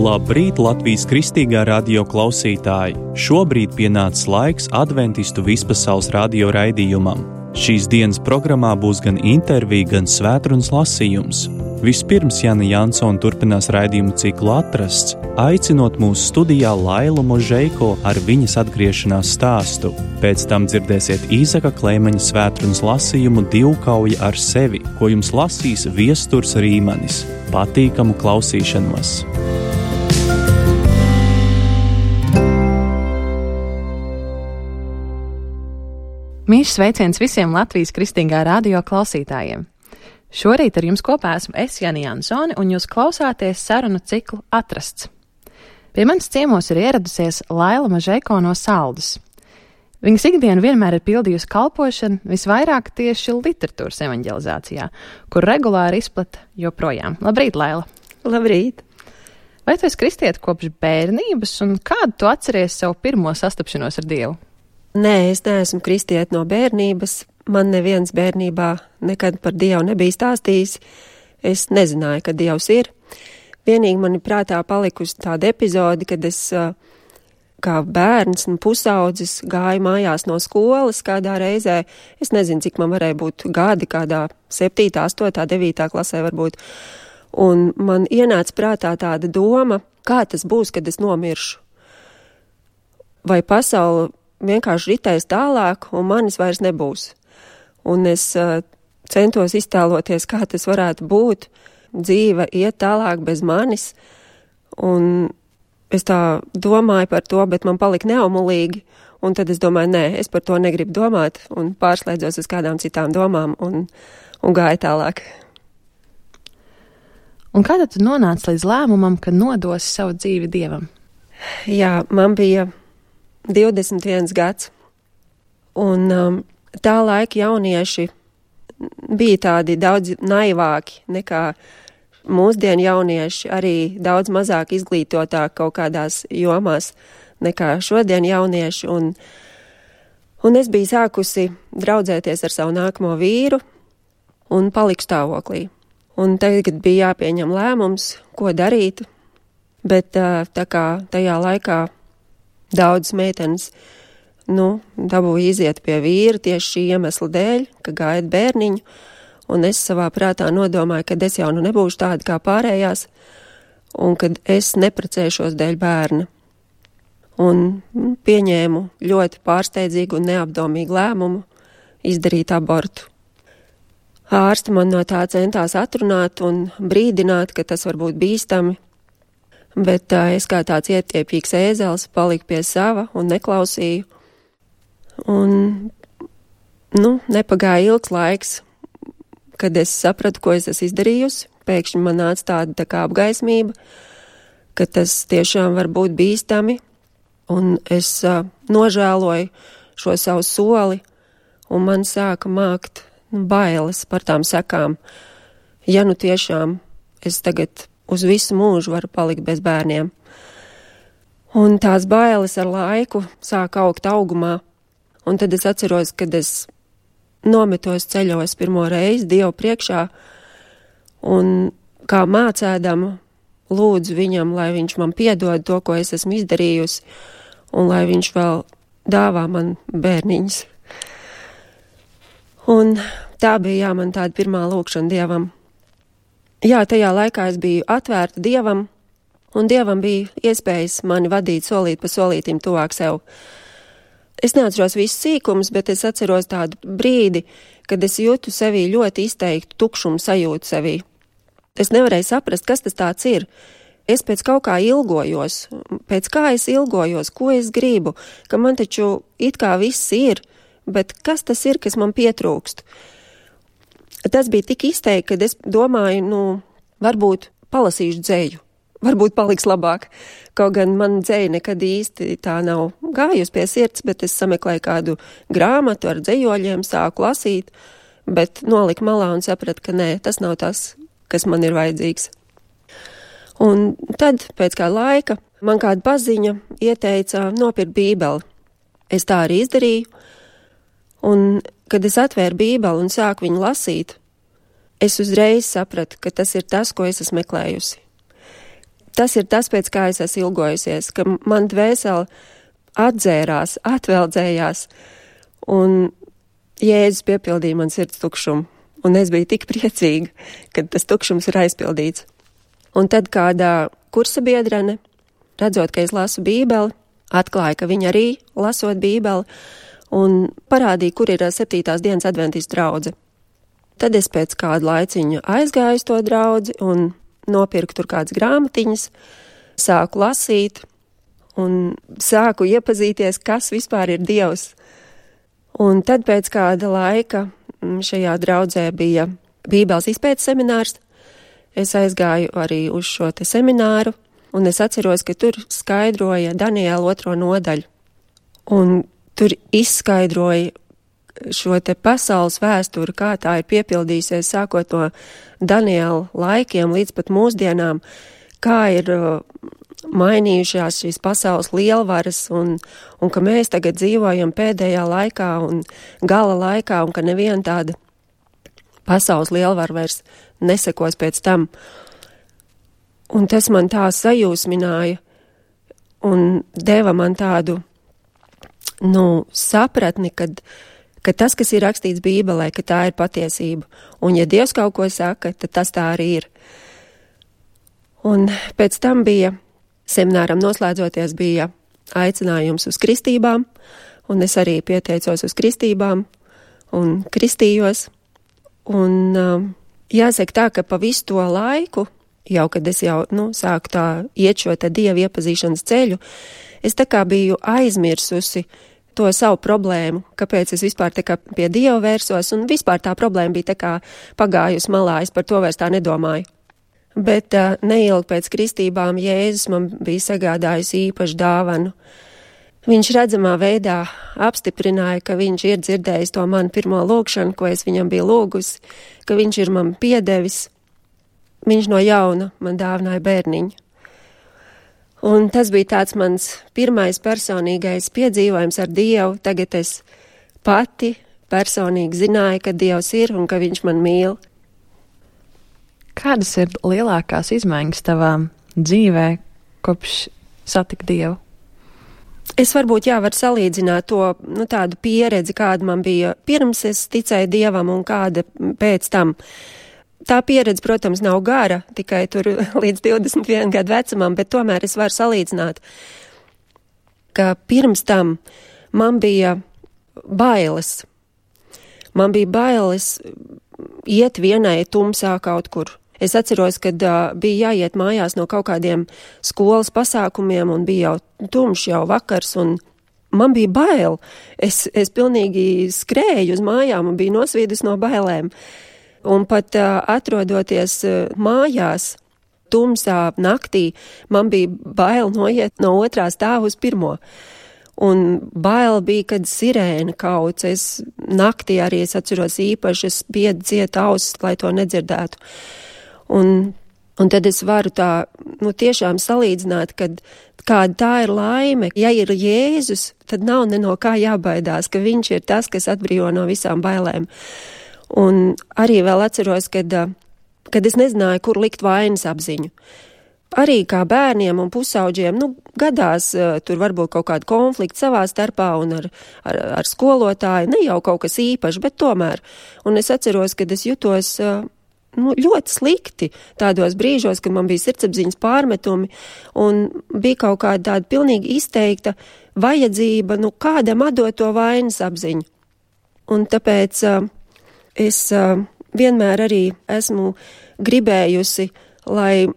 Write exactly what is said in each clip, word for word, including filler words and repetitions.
Labrīt, Latvijas Kristīgā radio klausītāji! Šobrīd pienācis laiks Adventistu vispasaules radio raidījumam. Šīs dienas programmā būs gan intervija, gan svētrunas lasījums. Vispirms Jana Jansone turpinās raidījumu ciklu Atrasts, aicinot mūsu studijā Lailu Možeiko ar viņas atgriešanās stāstu. Pēc tam dzirdēsiet Īzaka Kleimeņa svētrunas lasījumu Divkauja ar sevi, ko jums lasīs Viesturs Rīmanis. Patīkamu klausīšanos! Mīļš sveiciens visiem Latvijas Kristīgā radio klausītājiem! Šorīt ar jums kopā esmu es, Jana Jansone, un jūs klausāties sarunu ciklu Atrasts. Pie manis ciemos ir ieradusies Laila Možeiko no Saldus. Viņas ikdienu vienmēr ir pildījusi kalpošanu, visvairāk tieši literatūras evanģelizācijā, kur regulāri izplata joprojām. Labrīt, Laila! Labrīt! Vai tu esi kristiete kopš bērnības, un kādu tu atceries savu pirmo sastapšanos ar Dievu? Nē, es neesmu kristiete no bērnības. Man neviens bērnībā nekad par Dievu nebija stāstījis. Es nezināju, ka Dievs ir. Vienīgi man ir prātā palikusi tāda epizode, kad es kā bērns un pusaudzis gāju mājās no skolas kādā reizē. Es nezinu, cik man varēja būt gadi, kādā septītā, astotā, devītā klasē varbūt. Un man ienāca prātā tāda doma, kā tas būs, kad es nomiršu. Vai pasaule vienkārši ritēs tālāk, un manis vairs nebūs. Un es uh, centos iztēloties, kā tas varētu būt. Dzīve iet tālāk bez manis. Un es tā domāju par to, bet man palika neumulīgi. Un tad es domāju, nē, es par to negribu domāt. Un pārslēdzos uz kādām citām domām un, un gāju tālāk. Un kā tad tu nonāci līdz lēmumam, ka nodosi savu dzīvi Dievam? Jā, man bija divdesmit viens gads. Un um, tā laika jaunieši bija tādi daudz naivāki nekā mūsdienu jaunieši, arī daudz mazāk izglītotāki kaut kādās jomās nekā šodien jaunieši. Un, un es biju sākusi draudzēties ar savu nākamo vīru un paliku stāvoklī. Un tagad bija jāpieņem lēmums, ko darīt, bet tā kā tajā laikā daudzas meitenes nu, dabūja iziet pie vīra tieši šī iemesla dēļ, ka gaida bērniņu, un es savā prātā nodomāju, ka es jau nu nebūšu tāda kā pārējās, un kad es neprecēšos dēļ bērna. Un nu, pieņēmu ļoti pārsteidzīgu un neapdomīgu lēmumu izdarīt abortu. Ārsti man no tā centās atrunāt un brīdināt, ka tas var būt bīstami, bet uh, es kā tāds ietiepīgs ēzelis paliku pie sava un neklausīju. Un, nu, nepagāja ilgs laiks, kad es sapratu, ko es esmu izdarījusi. Pēkšņi man nāca tāda tā kā apgaismība, ka tas tiešām var būt bīstami, un es uh, nožēloju šo savu soli, un man sāka mākt nu, bailes par tām sekām. Ja nu tiešām es tagad uz visu mūžu varu palikt bez bērniem. Un tās bailes ar laiku sāk augt augumā. Un tad es atceros, kad es nometos ceļos pirmo reizi Dievu priekšā un kā mācēdama lūdzu viņam, lai viņš man piedod to, ko es esmu izdarījusi, un lai viņš vēl dāvā man bērniņus. Un tā bija, jā, man tāda pirmā lūkšana Dievam. Jā, tajā laikā es biju atvērta Dievam, un Dievam bija iespējas mani vadīt solīt pa solītim tuvāk sev. Es neatceros visus sīkumus, bet es atceros tādu brīdi, kad es jūtu sevī ļoti izteiktu tukšumu sajūtu sevī. Es nevarēju saprast, kas tas tāds ir. Es pēc kaut kā ilgojos, pēc kā es ilgojos, ko es gribu, ka man taču it kā viss ir, bet kas tas ir, kas man pietrūkst? Tas bija tik izteikti, kad es domāju, nu, varbūt palasīšu dzeju. Varbūt paliks labāk. Kaut gan man dzeja nekad īsti tā nav gājusi pie sirds, bet es sameklēju kādu grāmatu ar dzejoļiem, sāku lasīt, bet noliku malā un sapratu, ka nē, tas nav tas, kas man ir vajadzīgs. Un tad, pēc kā laika, man kāda paziņa ieteica nopirkt bībeli. Es tā arī izdarīju, un kad es atvēru bībeli un sāku viņu lasīt, es uzreiz sapratu, ka tas ir tas, ko es esmu meklējusi. tas ir tas, pēc kā es esmu ilgojusies, ka man dvēseli atdzērās, atveldzējās, un Jēzus piepildīja man sirds tukšumu, un es biju tik priecīga, kad tas tukšums ir aizpildīts. Un tad kādā kursa biedrene, redzot, ka es lasu bībeli, atklāja, ka viņa arī lasot bībeli, un parādīja, kur ir septītās dienas adventistu draudze. Tad es pēc kādu laiciņu aizgāju uz to draudzi un nopirku tur kādas grāmatiņas, sāku lasīt un sāku iepazīties, kas vispār ir Dievs. Un tad pēc kāda laika šajā draudzē bija Bībeles izpētes seminārs. Es aizgāju arī uz šo te semināru, un es atceros, ka tur skaidroja Daniela otro nodaļu. Un tur izskaidroja šo te pasaules vēsturi, kā tā ir piepildījusies sākot no Daniela laikiem līdz pat mūsdienām, kā ir mainījušās šīs pasaules lielvaras un, un ka mēs tagad dzīvojam pēdējā laikā un gala laikā un ka neviena tāda pasaules lielvara vairs nesekos pēc tam. Un tas man tā sajūsmināja un deva man tādu, nu, sapratni, kad, ka tas, kas ir rakstīts Bībelē, ka tā ir patiesība. Un ja Dievs kaut ko saka, tad tas tā arī ir. Un pēc tam bija semināram noslēdzoties bija aicinājums uz kristībām, un es arī pieteicos uz kristībām un kristījos. Un uh, jāsaka tā, ka pa visu to laiku, jau kad es jau, nu, sāku tā iet šo te Dievu iepazīšanas ceļu, es tā kā biju aizmirsusi to savu problēmu, kāpēc es vispār tā kā pie Dieva vērsos, un vispār tā problēma bija tā kā pagājusi malā, es par to vairs tā nedomāju. Bet uh, neilgi pēc kristībām Jēzus man bija sagādājis īpašu dāvanu. Viņš redzamā veidā apstiprināja, ka viņš ir dzirdējis to manu pirmo lūgšanu, ko es viņam biju lūgusi, ka viņš ir man piedevis. Viņš no jauna man dāvināja bērniņu. Un tas bija tāds mans pirmais personīgais piedzīvojums ar Dievu. Tagad es pati personīgi zināju, ka Dievs ir un ka viņš man mīl. Kādas ir lielākās izmaiņas tavā dzīvē, kopš satika Dievu? Es varbūt jā, varu salīdzināt to, nu, tādu pieredzi, kāda man bija pirms es ticēju Dievam un kāda pēc tam. Tā pieredze, protams, nav gara, tikai tur līdz divdesmit viena gadu vecumam, bet tomēr es varu salīdzināt, ka pirms tam man bija bailes. Man bija bailes iet vienai tumsā kaut kur. Es atceros, kad uh, bija jāiet mājās no kaut kādiem skolas pasākumiem un bija jau tumšs jau vakars un man bija bail. Es, es pilnīgi skrēju uz mājām un biju nosvīdus no bailēm. Un pat uh, atrodoties uh, mājās tumsā naktī, man bija bail noiet no otrā stāva uz pirmo. Un bail bija, kad sirēna kauc. Es naktī arī es atceros īpaši, es biedu ciet ausis, lai to nedzirdētu. Un, un tad es varu tā, nu, tiešām salīdzināt, kad kāda tā ir laime. Ja ir Jēzus, tad nav ne no kā jābaidās, ka viņš ir tas, kas atbrīvo no visām bailēm. Un arī vēl atceros, kad, kad es nezināju, kur likt vainas apziņu. Arī kā bērniem un pusauģiem, nu, gadās uh, tur varbūt kaut kāda konflikta savā starpā un ar, ar, ar skolotāju, ne jau kaut kas īpašs, bet tomēr. Un es atceros, kad es jutos uh, nu, ļoti slikti tādos brīžos, kad man bija sirdsapziņas pārmetumi un bija kaut kāda tāda pilnīgi izteikta vajadzība, nu, kādam atdot to vainas apziņu. Un tāpēc uh, es uh, vienmēr arī esmu gribējusi, lai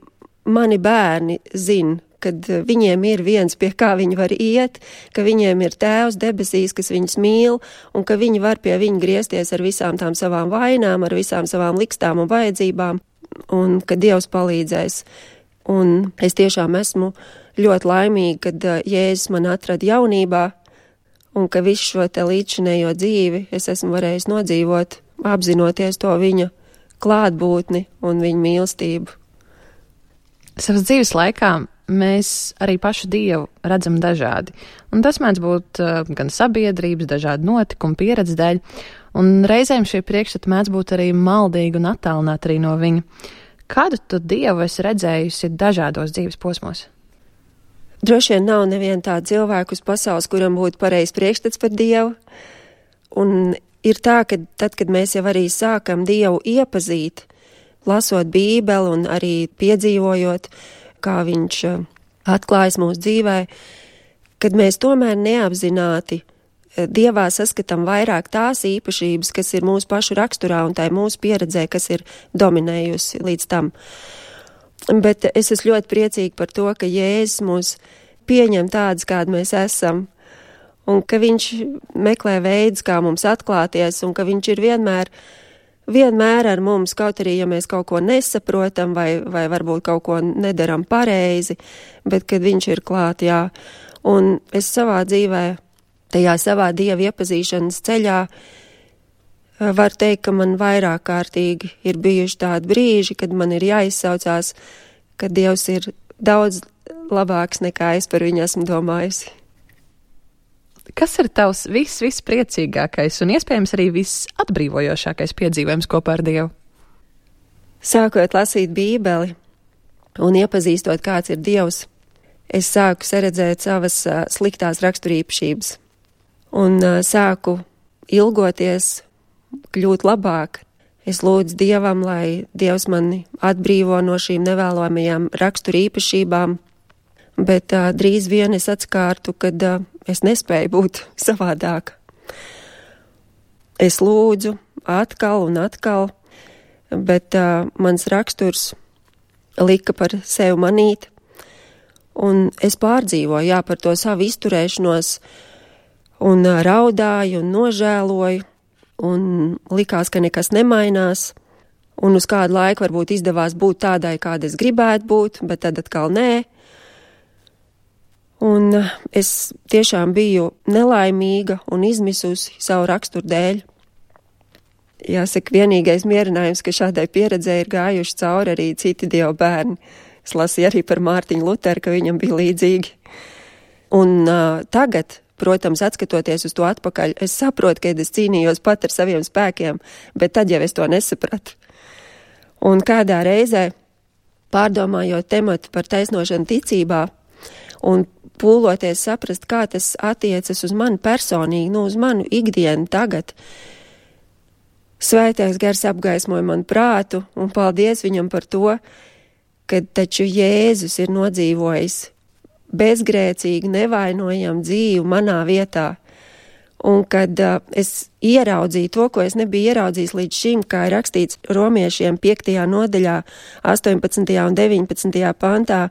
mani bērni zin, kad viņiem ir viens, pie kā viņi var iet, ka viņiem ir Tēvs debesīs, kas viņus mīl, un ka viņi var pie viņa griezties ar visām tām savām vainām, ar visām savām likstām un vajadzībām, un ka Dievs palīdzēs. Un es tiešām esmu ļoti laimīga, kad Jēzus man atrada jaunībā, un ka visu šo te līdzinējo dzīvi es esmu varējis nodzīvot, apzinoties to viņa klātbūtni un viņa mīlestību. Savas dzīves laikā mēs arī pašu Dievu redzam dažādi, un tas mēdz būt uh, gan sabiedrības, dažādi notikumi, pieredze dēļ, un reizēm šie priekšstati mēdz būt arī maldīgi un attālināti arī no viņa. Kādu tu Dievu esi redzējusi dažādos dzīves posmos? Droši vien nav neviena tāda cilvēka uz pasaules, kuram būtu pareizs priekšstats par Dievu. Un ir tā, ka tad, kad mēs jau arī sākam Dievu iepazīt, lasot Bībeli un arī piedzīvojot, kā viņš atklājas mūsu dzīvē, kad mēs tomēr neapzināti Dievā saskatām vairāk tās īpašības, kas ir mūsu pašu raksturā un tai mūsu pieredzē, kas ir dominējusi līdz tam. Bet es esmu ļoti priecīga par to, ka Jēzus mūs pieņem tādus, kādi mēs esam, un ka viņš meklē veidus, kā mums atklāties, un ka viņš ir vienmēr, vienmēr ar mums, kaut arī, ja mēs kaut ko nesaprotam vai, vai varbūt kaut ko nedaram pareizi, bet kad viņš ir klāt, jā. Un es savā dzīvē, tajā savā Dieva iepazīšanas ceļā, var teikt, ka man vairāk kārtīgi ir bijuši tādi brīži, kad man ir jāizsaucās, ka Dievs ir daudz labāks nekā es par viņu esmu domājusi. Kas ir tavs viss, viss priecīgākais un iespējams arī viss atbrīvojošākais piedzīvojums kopā ar Dievu? Sākot lasīt Bībeli un iepazīstot, kāds ir Dievs, es sāku saredzēt savas uh, sliktās raksturīpašības un uh, sāku ilgoties kļūt labāk. Es lūdzu Dievam, lai Dievs mani atbrīvo no šīm nevēlamajām raksturīpašībām, bet uh, drīz vien es atskārtu, kad uh, es nespēju būt savādāk. Es lūdzu atkal un atkal, bet uh, mans raksturs lika par sevi manīt, un es pārdzīvoju, jā, par to savu izturēšanos, un uh, raudāju un nožēloju, un likās, ka nekas nemainās, un uz kādu laiku varbūt izdevās būt tādai, kāda es gribētu būt, bet tad atkal nē. Un es tiešām biju nelaimīga un izmisusi savu raksturu dēļ. Jāsaka, vienīgais mierinājums, ka šādai pieredzē ir gājuši cauri arī citi Dieva bērni. Es lasīju arī par Mārtiņu Luteru, ka viņam bija līdzīgi. Un uh, tagad, protams, atskatoties uz to atpakaļ, es saprotu, ka es cīnījos pat ar saviem spēkiem, bet tad jau es to nesapratu. Un kādā reizē, pārdomājot tematu par taisnošanu ticībā un pūloties saprast, kā tas attiecas uz mani personīgi, nu uz manu ikdienu tagad, Svētais Gars apgaismoja manu prātu, un paldies viņam par to, ka taču Jēzus ir nodzīvojis bezgrēcīgi, nevainojam dzīvi manā vietā. Un kad uh, es ieraudzīju to, ko es nebiju ieraudzījis līdz šim, kā ir rakstīts Romiešiem piektajā nodaļā, astoņpadsmitajā un deviņpadsmitajā pantā,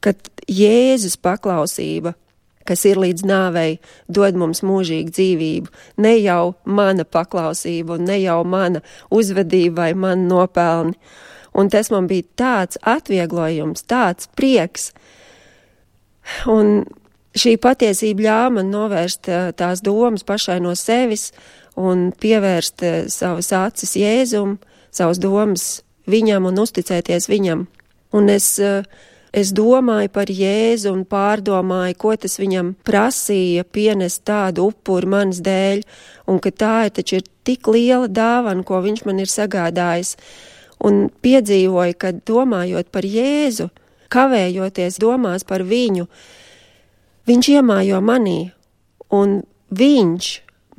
kad Jēzus paklausība, kas ir līdz nāvei, dod mums mūžīgu dzīvību, ne jau mana paklausība un ne jau mana uzvedība vai man nopelni. Un tas man bija tāds atvieglojums, tāds prieks. Un šī patiesība ļāva man novērst tās domas pašai no sevis un pievērst savas acis Jēzum, savas domas viņam un uzticēties viņam. Un es, es domāju par Jēzu un pārdomāju, ko tas viņam prasīja pienest tādu upuri manas dēļ, un ka tā ir taču ir tik liela dāvana, ko viņš man ir sagādājis. Un piedzīvoju, ka domājot par Jēzu, kavējoties domās par viņu, viņš iemājo manī, un viņš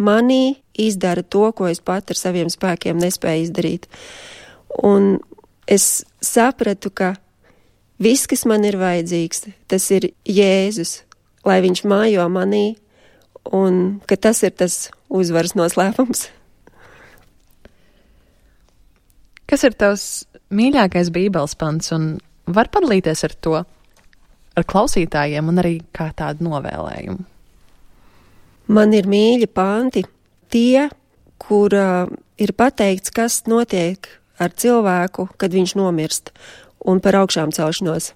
manī izdara to, ko es pat ar saviem spēkiem nespēju izdarīt. Un es sapratu, ka viss, kas man ir vajadzīgs, tas ir Jēzus, lai viņš mājo manī, un ka tas ir tas uzvaras noslēpums. Kas ir tavs mīļākais Bībeles pants, un var padalīties ar to, ar klausītājiem un arī kā tādu novēlējumu? Man ir mīļi panti, tie, kur uh, ir pateikts, kas notiek ar cilvēku, kad viņš nomirst, un par augšām celšanos.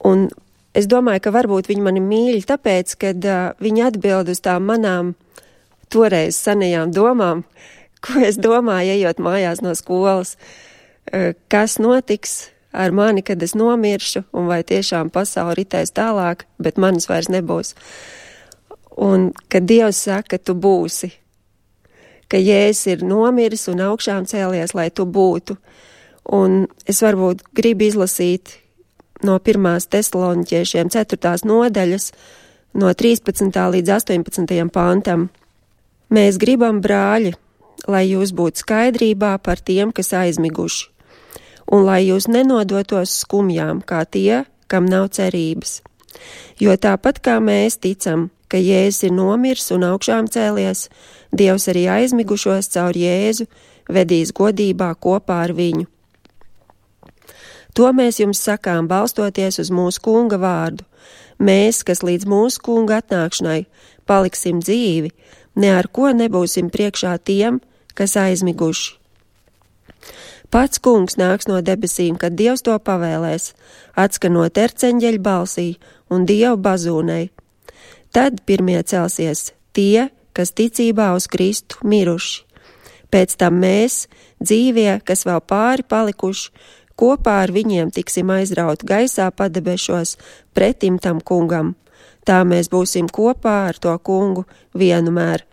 Un es domāju, ka varbūt viņi mani mīļi tāpēc, kad uh, viņi atbild uz tām manām toreiz senajām domām, ko es domāju, ejot mājās no skolas, uh, kas notiks ar mani, kad es nomiršu, un vai tiešām pasauli ritēs tālāk, bet manis vairs nebūs. Un kad Dievs saka, ka tu būsi, ka Jēzus ir nomiris un augšām cēlies, lai tu būtu, Un es varbūt gribu izlasīt no pirmās Tesaloniķiešiem ceturtās nodaļas, no trīspadsmitā līdz astoņpadsmitajam pantam. Mēs gribam, brāļi, lai jūs būtu skaidrībā par tiem, kas aizmiguši, un lai jūs nenodotos skumjām, kā tie, kam nav cerības. Jo tāpat kā mēs ticam, ka Jēzus ir nomirs un augšām cēlies, Dievs arī aizmigušos caur Jēzu vedīs godībā kopā ar viņu. To mēs jums sakām, balstoties uz mūsu kunga vārdu. Mēs, kas līdz mūsu kunga atnākšanai paliksim dzīvi, ne ar ko nebūsim priekšā tiem, kas aizmiguši. Pats kungs nāks no debesīm, kad Dievs to pavēlēs, atskanot erceņģeļa balsī un Dievu bazūnei. Tad pirmie celsies tie, kas ticībā uz Kristu miruši. Pēc tam mēs, dzīvie, kas vēl pāri palikuši, kopā ar viņiem tiksim aizraut gaisā padebešos pretim tam kungam. Tā mēs būsim kopā ar to kungu vienmēr.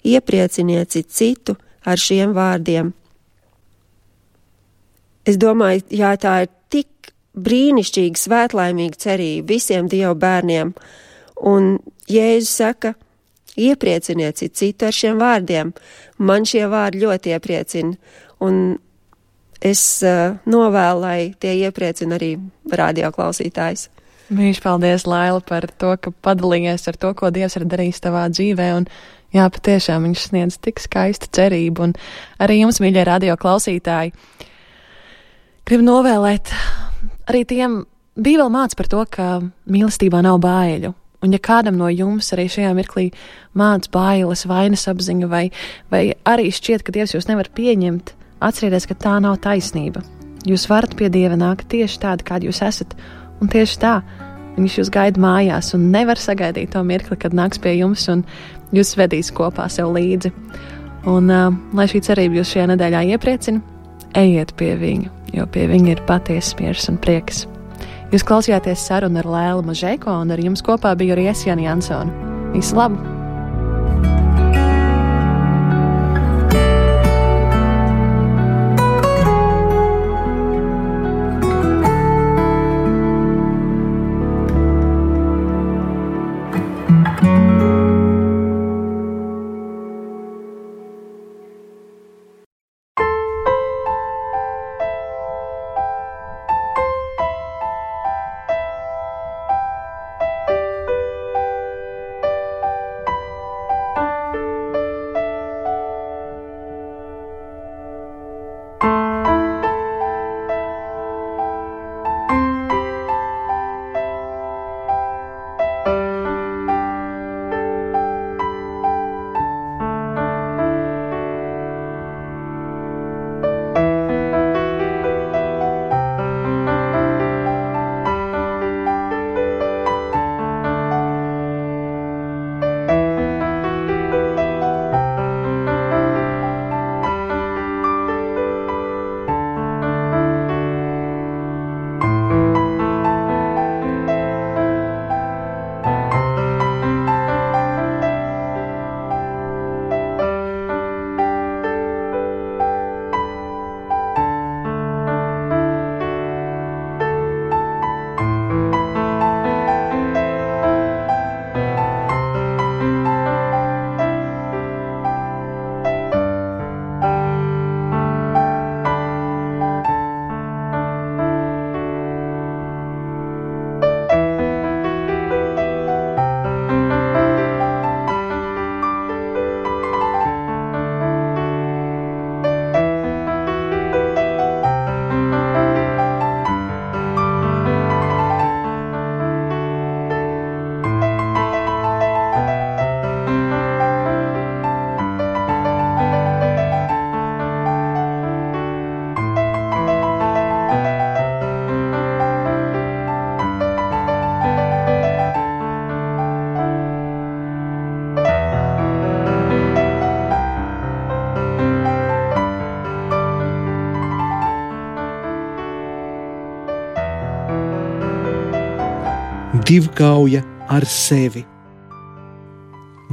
Ieprieciniet citu ar šiem vārdiem. Es domāju, jā, tā ir tik brīnišķīga, svētlaimīga cerība visiem Dieva bērniem. Un Jēzus saka, ieprieciniet citu ar šiem vārdiem. Man šie vārdi ļoti iepriecina. Un es uh, novēlu, lai tie iepriecina arī radio klausītājs. Mīļš, paldies, Laila, par to, ka padalījies ar to, ko Dievs ir darījis tavā dzīvē. Un jā, patiešām viņš sniedz tik skaistu cerību. Un arī jums, mīļie radio klausītāji, gribu novēlēt arī tiem, Bībele māca par to, ka mīlestībā nav baiļu. Un ja kādam no jums arī šajā mirklī māca bailes, vainas apziņa, vai, vai arī šķiet, ka Dievs jūs nevar pieņemt, atcerieties, ka tā nav taisnība. Jūs varat pie Dieva nākt tieši tādi, kādi jūs esat, un tieši tā viņš jūs gaida mājās un nevar sagaidīt to mirkli, kad nāks pie jums un jūs vedīs kopā sev līdzi. Un uh, lai šī cerība jūs šajā nedēļā iepriecina, ejiet pie viņa, jo pie viņa ir patiesas miers un prieks. Jūs klausījāties sarunu ar Lēlu Mažēko, un ar jums kopā biju arī es, Jani Jansone. Visu labu! Divkauja ar sevi.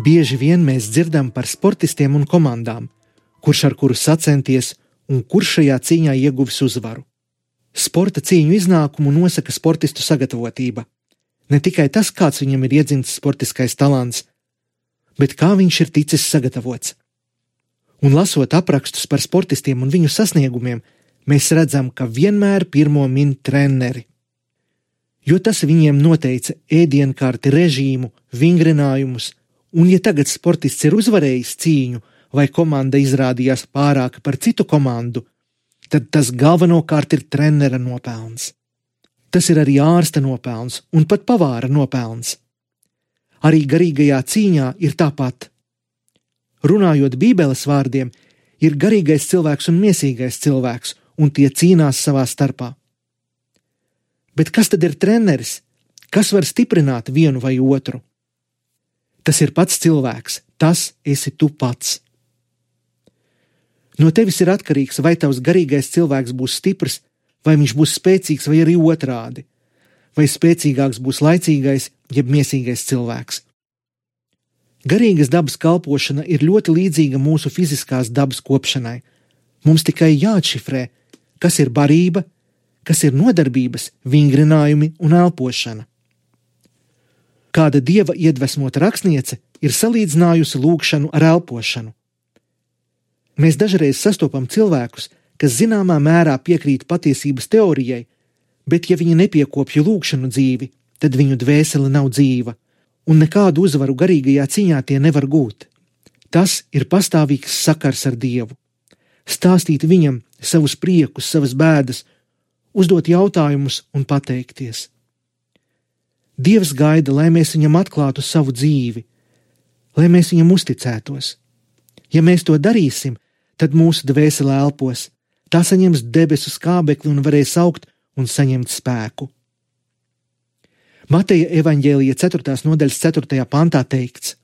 Bieži vien mēs dzirdam par sportistiem un komandām, kurš ar kuru sacenties un kurš šajā cīņā ieguvis uzvaru. Sporta cīņu iznākumu nosaka sportistu sagatavotība. Ne tikai tas, kāds viņam ir iedzimts sportiskais talants, bet kā viņš ir ticis sagatavots. Un lasot aprakstus par sportistiem un viņu sasniegumiem, mēs redzam, ka vienmēr pirmo min treneri. Jo tas viņiem noteica ēdienkarti, režīmu, vingrinājumus, un ja tagad sportists ir uzvarējis cīņu vai komanda izrādījās pārāka par citu komandu, tad tas galvenokārt ir trenera nopelns. Tas ir arī ārsta nopelns un pat pavāra nopelns. Arī garīgajā cīņā ir tāpat. Runājot Bībeles vārdiem, ir garīgais cilvēks un miesīgais cilvēks, un tie cīnās savā starpā. Bet kas tad ir treneris? Kas var stiprināt vienu vai otru? Tas ir pats cilvēks, tas esi tu pats. No tevis ir atkarīgs, vai tavs garīgais cilvēks būs stiprs, vai viņš būs spēcīgs, vai arī otrādi, vai spēcīgāks būs laicīgais, jeb miesīgais cilvēks. Garīgas dabas kalpošana ir ļoti līdzīga mūsu fiziskās dabas kopšanai. Mums tikai jāatšifrē, kas ir barība, kas ir nodarbības, vingrinājumi un elpošana. Kāda dieva iedvesmota rakstniece ir salīdzinājusi lūgšanu ar elpošanu. Mēs dažreiz sastopam cilvēkus, kas zināmā mērā piekrīt patiesības teorijai, bet ja viņi nepiekopja lūgšanu dzīvi, tad viņu dvēsele nav dzīva, un nekādu uzvaru garīgajā cīņā tie nevar gūt. Tas ir pastāvīgs sakars ar Dievu. Stāstīt viņam savus priekus, savas bēdas, uzdot jautājumus un pateikties. Dievs gaida, lai mēs viņam atklātu savu dzīvi, lai mēs viņam uzticētos. Ja mēs to darīsim, tad mūsu dvēsele elpos, tā saņems debesu skābekli un varēs augt un saņemt spēku. Mateja evaņģēlija ceturtās nodaļas ceturtajā pantā teikts,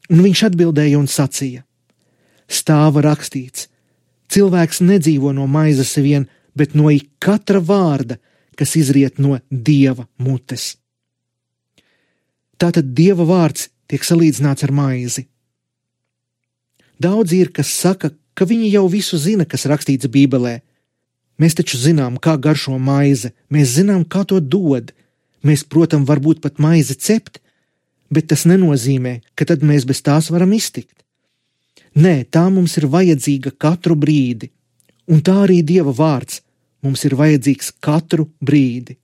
un viņš atbildēja un sacīja: Stāva rakstīts, cilvēks nedzīvo no maizes vien, bet no ik katra vārda, kas izriet no Dieva mutes. Tātad Dieva vārds tiek salīdzināts ar maizi. Daudzi ir, kas saka, ka viņi jau visu zina, kas rakstīts Bībelē. Mēs taču zinām, kā garšo maize, mēs zinām, kā to dod. Mēs, protams, varbūt pat maizi cept, bet tas nenozīmē, ka tad mēs bez tās varam iztikt. Nē, tā mums ir vajadzīga katru brīdi, un tā arī Dieva vārds mums ir vajadzīgs katru brīdi.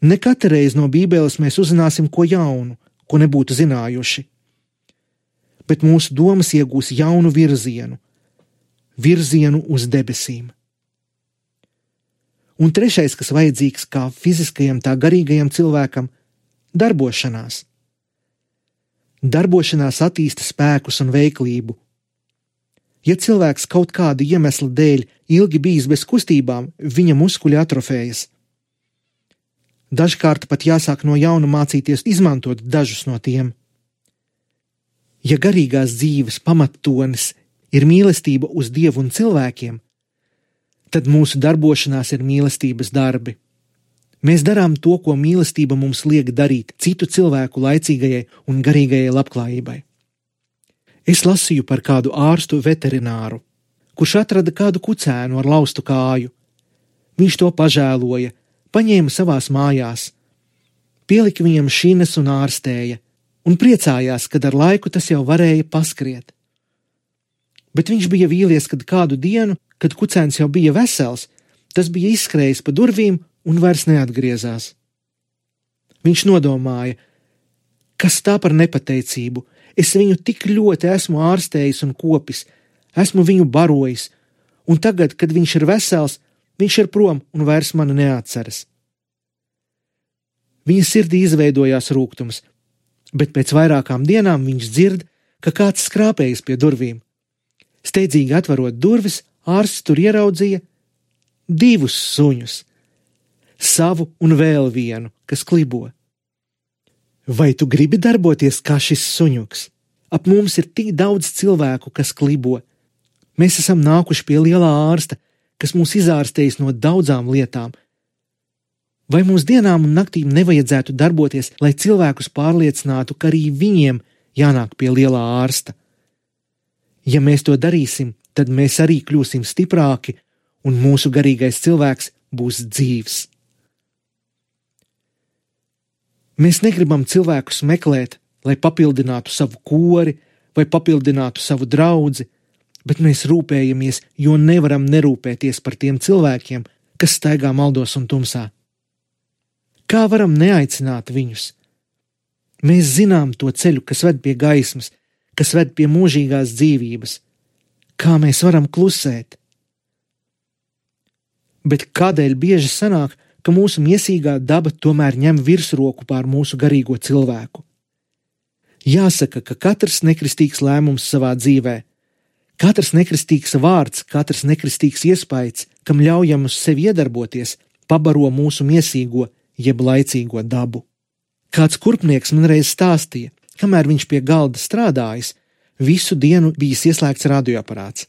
Ne katru reizi no Bībeles mēs uzzināsim ko jaunu, ko nebūtu zinājuši, bet mūsu domas iegūs jaunu virzienu, virzienu uz debesīm. Un trešais, kas vajadzīgs kā fiziskajam, tā garīgajam cilvēkam – darbošanās. Darbošanās attīsta spēkus un veiklību. Ja cilvēks kaut kādu iemeslu dēļ ilgi bijis bez kustībām, viņa muskuļi atrofējas. Dažkārt pat jāsāk no jauna mācīties izmantot dažus no tiem. Ja garīgās dzīves pamattonis ir mīlestība uz Dievu un cilvēkiem, tad mūsu darbošanās ir mīlestības darbi. Mēs darām to, ko mīlestība mums liek darīt citu cilvēku laicīgajai un garīgajai labklājībai. Es lasīju par kādu ārstu veterināru, kurš atrada kādu kucēnu ar laustu kāju. Viņš to pažēloja, paņēma savās mājās, pielika viņam šines un ārstēja, un priecājās, kad ar laiku tas jau varēja paskriet. Bet viņš bija vīlies, kad kādu dienu, kad kucēns jau bija vesels, tas bija izskrējis pa durvīm un vairs neatgriezās. Viņš nodomāja, kas tā par nepateicību, es viņu tik ļoti esmu ārstējis un kopis, esmu viņu barojis, un tagad, kad viņš ir vesels, viņš ir prom un vairs mani neatceras. Viņa sirdī izveidojās rūgtums, bet pēc vairākām dienām viņš dzird, ka kāds skrāpējas pie durvīm. Steidzīgi atverot durvis, ārsts tur ieraudzīja divus suņus, savu un vēl vienu, kas klibo. Vai tu gribi darboties kā šis suņuks? Ap mums ir tik daudz cilvēku, kas klibo. Mēs esam nākuši pie lielā ārsta, kas mūs izārstējis no daudzām lietām. Vai mums dienām un naktīm nevajadzētu darboties, lai cilvēkus pārliecinātu, ka arī viņiem jānāk pie lielā ārsta? Ja mēs to darīsim, tad mēs arī kļūsim stiprāki un mūsu garīgais cilvēks būs dzīvs. Mēs negribam cilvēkus meklēt, lai papildinātu savu kori vai papildinātu savu draudzi, bet mēs rūpējamies, jo nevaram nerūpēties par tiem cilvēkiem, kas staigā maldos un tumsā. Kā varam neaicināt viņus? Mēs zinām to ceļu, kas ved pie gaismas, kas ved pie mūžīgās dzīvības. Kā mēs varam klusēt? Bet kādēļ bieži sanāk, ka mūsu miesīgā daba tomēr ņem virsroku pār mūsu garīgo cilvēku? Jāsaka, ka katrs nekristīgs lēmums savā dzīvē, katrs nekristīgs vārds, katrs nekristīgs iespējas, kam ļaujam uz sevi iedarboties, pabaro mūsu miesīgo jeb laicīgo dabu. Kāds kurpnieks man reiz stāstīja, kamēr viņš pie galda strādājis, visu dienu bijis ieslēgts radioaparāts.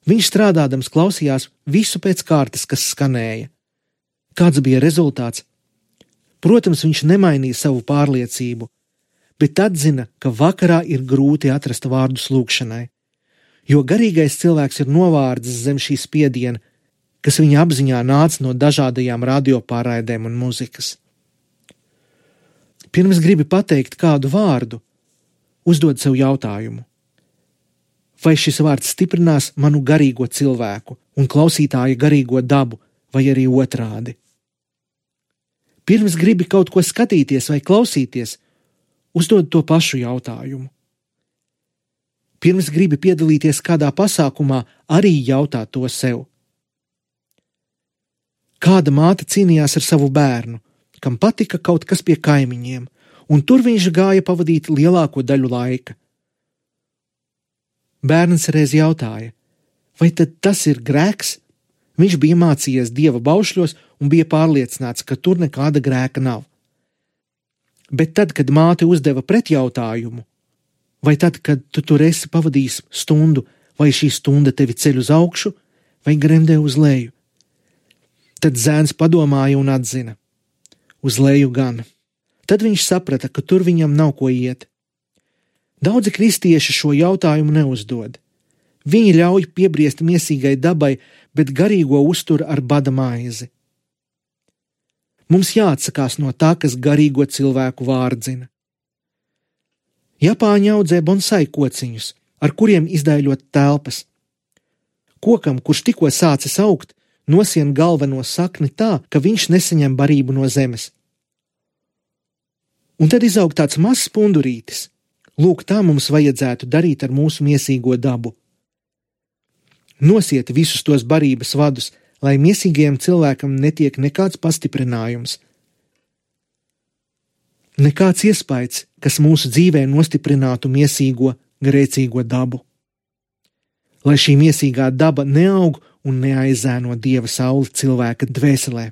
Viņš strādādams klausījās visu pēc kārtas, kas skanēja. Kāds bija rezultāts? Protams, viņš nemainīja savu pārliecību, bet atzina, ka vakarā ir grūti atrast vārdus lūgšanai, jo garīgais cilvēks ir novārdzis zem šī spiediena, kas viņa apziņā nāca no dažādajām radiopārraidēm un muzikas. Pirms gribi pateikt kādu vārdu, uzdod sev jautājumu. Vai šis vārds stiprinās manu garīgo cilvēku un klausītāja garīgo dabu, vai arī otrādi? Pirms gribi kaut ko skatīties vai klausīties, uzdod to pašu jautājumu. Pirms gribi piedalīties kādā pasākumā, arī jautā to sev. Kāda māte cīnījās ar savu bērnu, kam patika kaut kas pie kaimiņiem, un tur viņš gāja pavadīt lielāko daļu laika. Bērns reiz jautāja, vai tad tas ir grēks? Viņš bija mācījies Dieva baušļos un bija pārliecināts, ka tur nekāda grēka nav. Bet tad, kad māte uzdeva pretjautājumu, vai tad, kad tu tur esi pavadījis stundu, vai šī stunda tevi ceļ uz augšu, vai gremdē uz leju? Tad zēns padomāja un atzina, uz leju gan. Tad viņš saprata, ka tur viņam nav ko iet. Daudzi kristieši šo jautājumu neuzdod. Viņi ļauj piebriest miesīgai dabai, bet garīgo uztur ar bada maizi. Mums jāatsakās no tā, kas garīgo cilvēku vārdzina. Japāņi audzē bonsai kociņus, ar kuriem izdaiļot telpas. Kokam, kurš tikko sācis augt, nosien galveno sakni tā, ka viņš nesaņem barību no zemes. Un tad izaug tāds mazs pundurītis. Lūk, tā mums vajadzētu darīt ar mūsu miesīgo dabu. Nosiet visus tos barības vadus, lai miesīgajam cilvēkam netiek nekāds pastiprinājums. Nekāds iespējas, kas mūsu dzīvē nostiprinātu miesīgo, grēcīgo dabu. Lai šī miesīgā daba neaug un neaizēno Dieva sauli cilvēka dvēselē.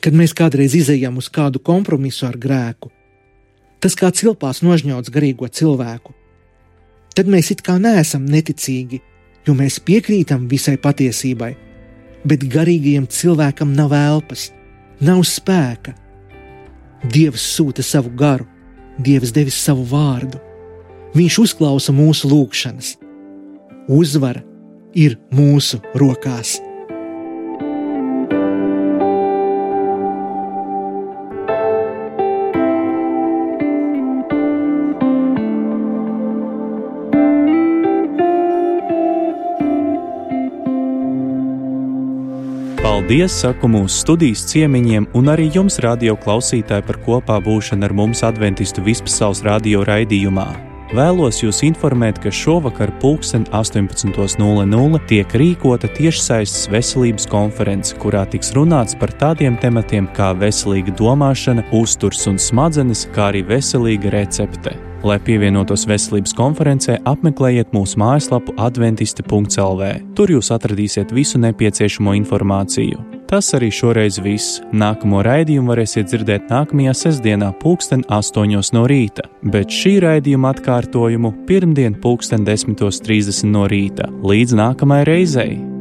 Kad mēs kādreiz izejam uz kādu kompromisu ar grēku, tas kā cilpās nožņauts garīgo cilvēku, tad mēs it kā neesam neticīgi, jo mēs piekrītam visai patiesībai, bet garīgajam cilvēkam nav elpas, nav spēka. Dievs sūta savu garu, Dievs devis savu vārdu. Viņš uzklausa mūsu lūgšanas. Uzvara ir mūsu rokās. Paldies, saku mūsu studijas ciemiņiem un arī jums, radio klausītāji, par kopā būšanu ar mums Adventistu Vispasaules radio raidījumā. Vēlos jūs informēt, ka šovakar pulksten astoņpadsmit nulle nulle tiek rīkota tiešsaistes veselības konference, kurā tiks runāts par tādiem tematiem kā veselīga domāšana, uzturs un smadzenes, kā arī veselīga recepte. Lai pievienotos veselības konferencē, apmeklējiet mūsu mājaslapu adventisti punkts el vē. Tur jūs atradīsiet visu nepieciešamo informāciju. Tas arī šoreiz viss. Nākamo raidījumu varēsiet dzirdēt nākamajā sestdienā pulksten astoņos no rīta, bet šī raidījuma atkārtojumu pirmdien pulksten desmitos trīsdesmit no rīta. Līdz nākamajai reizei!